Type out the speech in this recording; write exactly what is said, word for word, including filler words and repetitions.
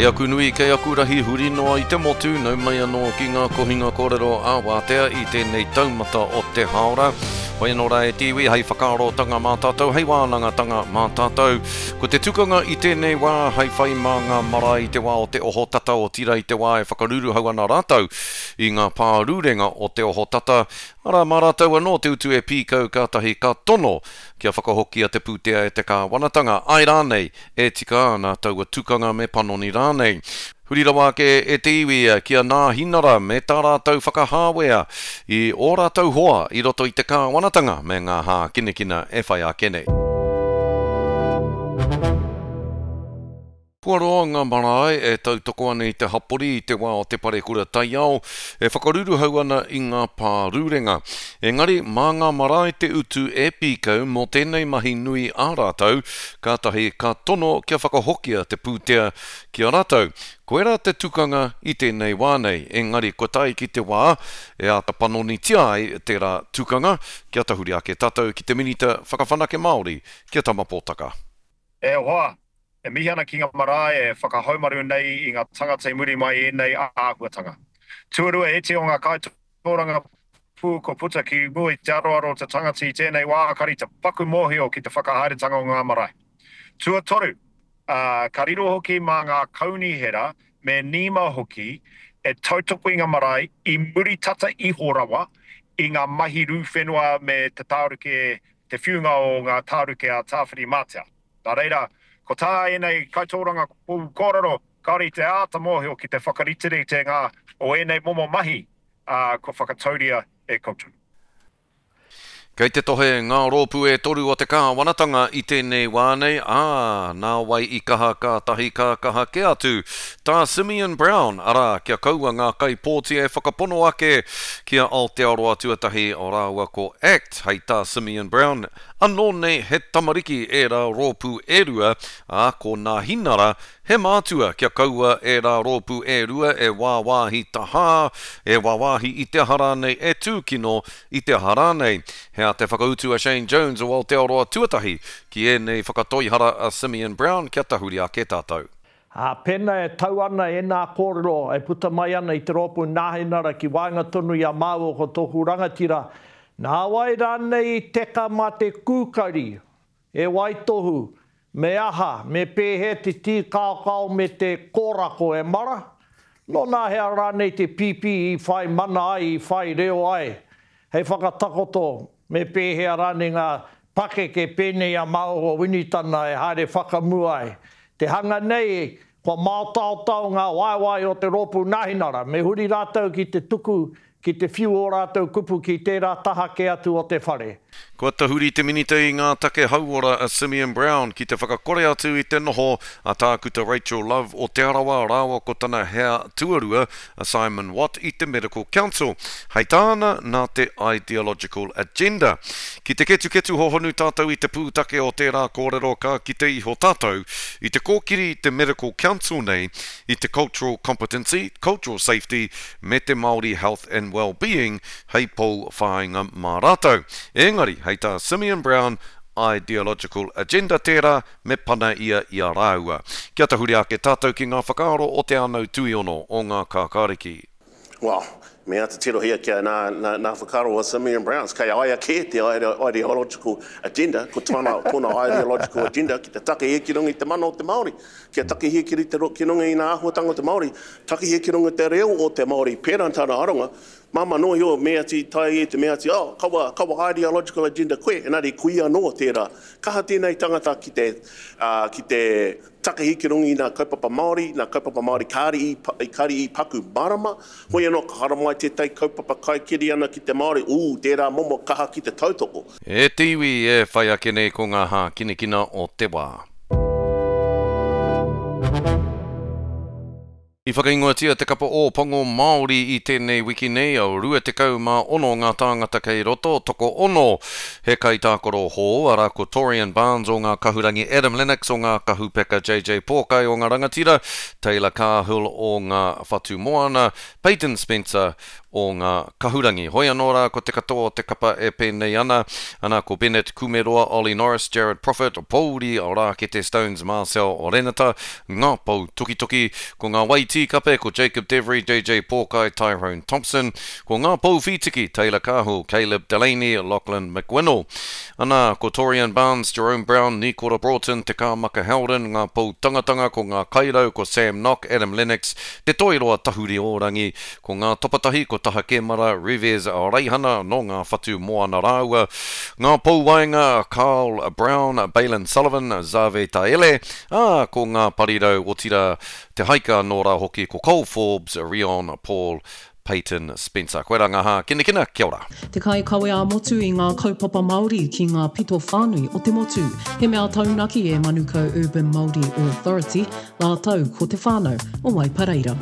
Kei aku nui, kei aku rahi huri noa i te motu, nau mai anō ki ngā kohinga kōrero a Wātea i tēnei taumata o te hāora. Hoi anō rā e te iwi, hei whakaarotanga mā tātou, hei wānangatanga mā tātou. Ko te tukanga i tēnei wā, hei whai mā ngā marae i te wā o te ohotata otirā i te wā e whakaruruhau ana rātou i ngā pārurenga o te ohotata, arā mā rātou anō te utu e pīkau kātahi ka tono kia whakahokia te pūtea e te kāwanatanga, āe rānei, e tika ana taua tukanga me panoni rānei. Huri rawa ake e te iwi ki a Nāhinara me tā rātou whakahāwea i ō rātou hoa i roto i te kāwanatanga me ngā hākinakina e whai ake nei. Kua roa ngā marae e tautoko ana i te hapori i te wā o te parekura taiao e whakaruruhau ana i ngā pārurenga. Engari, mā ngā marae te utu e pīkau mō tēnei mahi nui a rātou, kātahi ka tono kia whakahokia te pūtea ki a rātou. Koirā te tukanga i tēnei wā nei, engari kua tae ki te wā e āta panonitia ai tērā tukanga, kia tahuri ake tātou ki te Minita Whakawhanake Māori, ki a Tama Potaka. E hoa, e mihi ana ki ngā marae e whakahaumaru nei i ngā tangata i muri mai i ēnei āhuatanga. Tuarua, e iti o ngā kaitōrangapū kua puta ki mua i te aroaro o te tangata i tēnei wā kari te paku mōhio ki te whakahaeretanga o ngā marae. Tuatoru, uh, ka riro hoki mā ngā kaunihera me NEMA hoki e tautoko i ngā marae i muri tata iho rawa i ngā mahi rū whenua me te tāruke, te whiunga o ngā tāruke a Tāwhirimātea. Nā reira, ko tā ēnei kaitōrangapū kōrero, kāore i te āta mōhio ki te whakariterite ngā o ēnei momo mahi uh, kua whakatauria e koutou. Kei te tohe ngā rōpū e toru o te kāwanatanga i tēnei wā nei, ā, nā wai i kaha kātahi ka kaha kē atu. Tā Simeon Brown, arā, kia kaua ngā kaipōti e whakapono ake ki a Aotearoa Tuatahi rāua ko ACT, hei tā Simeon Brown, anō nei he tamariki ērā rōpū e rua, ā, ko Nāhinara he mātua kia kaua ērā rōpū e rua e wāwāhi tahā, e wāwāhi i te aha rānei, e tūkino i te aha rānei. He a te whakautu a Shane Jones o Aotearoa Tuatahi ki ēnei whakatoihara a Simeon Brown kia tahuri ake tātou. Ā, pēnā e tau ana e nā kōrero e puta mai ana i te rōpū Nāhinara ki waenga tonu i a māua ko tōku rangatira, nā wai rānei i teka mā te kūkari, e waitohu, me aha, me pēhea te tīkaokao me te kōrako e mara? Nō nā hea rānei te pīpī i whai mana ai, i whai reo ai, hei whakatakoto me pēhea rānei ngā pakeke pēnei a māua Winitana e haere whakamua ai. Te hanga nei, kua māotaotao ngā waewae o te rōpū Nāhinara, me huri rātou ki te tuku, ki te whiu o rātou kupu ki tērā taha kē atu o te whare. Kua tahuri te minita i ngā take hauora a Simeon Brown ki te whakakore atu i te noho a Tākuta Rachel Love o Te Arawa rāua ko tana hea tuarua a Simon Watt i te Medical Council. Hei tāna nā te ideological agenda. Ki te ketuketu hohonu tātou i te pūtake o tērā kōrero ka kite iho tātou i te kōkiri te Medical Council nei i te cultural competency, cultural safety me te Māori health and well-being hei pou whāinga mā rātou. Engari, hei tā Simeon Brown, ideological agenda tērā me pana ia i a rāua. Kia tahuri ake tātou ki ngā whakaaro o Te Anau Tuiono o ngā Kākāriki. Well, me āta tirohia kia nā, nā, nā whakaaro a Simeon Brown, kei aia kē te ideological agenda, ko tōna, tōna ideological agenda ki te takehia ki runga i te mana o te Māori, kia takehia ki, te, ki runga i ngā āhuatanga o te Māori, takehia ki runga i te reo o te Māori, pērā tāna aronga, Māmā noa iho, me ati tai e te mea ati, oh, kawa, kawa ideological agenda koe, engari kui anō tērā. Kaha tēnei tangata ki te, uh, ki te takahi ki runga i ngā kaupapa Māori, ngā kaupapa Māori kāri i, kāri i paku marama, hoi anō ka haramai tētai kaupapa kaikiri ana ki te Māori, ū, tērā momo kaha ki te tautoko. E te iwi e whai ake nei ko ngā hākinakina o te wā. I whakaingoatia te kapa Ōpango Māori i tēnei wiki nei, au rua tekau mā ono ngā tāngata kei roto, toko ono. He kaitākaro hou, arā ko Torian Barnes o ngā kahurangi, Adam Lennox o ngā kahupeka, J J Pōkai o ngā rangatira, Taylor Cahill o ngā Whatumoana, Peyton Spencer o ngā kahurangi. Hoi anō rā ko te katoa o te kapa e pēnei ana, ana ko Bennett Kumeroa, Ollie Norris, Jared Profit, Pouri Rākete Stones, Marcel Renata, ngā pou tukituki, ko ngā waitī kape, ko Jacob Devery, JJ Pōkai, Tyrone Thompson, ko ngā pou whītiki, Taylor Cahill, Caleb Delaney, Lachlan McWinnell. Ana, ko Torian Barnes, Jerome Brown, Nikora Broughton, Te Kāmaka Howden, ngā pou tangatanga, ko ngā kairau, ko Sam Nock, Adam Lennox, Te Toiroa Tahuri Ōrangi, ko ngā tapatahi, ko Taha Kemara, Rivez Reihana, nō ngā whatu moana rāua, ngā pou waenga, Carl Brown, Bailyn Sullivan, Zave Taele, ā, ko ngā parirau, otirā, te haika anō rā hoki, ko Cole Forbes, Rion Paul, Peyton Spencer. Koirā ngā hākinakina, kia ora. Te kaikawe ā-motu i ngā kaupapa Māori ki ngā pito whānui o te motu. He mea taunaki e Manukau Urban Māori Authority rātou ko te whānau o Waipareira.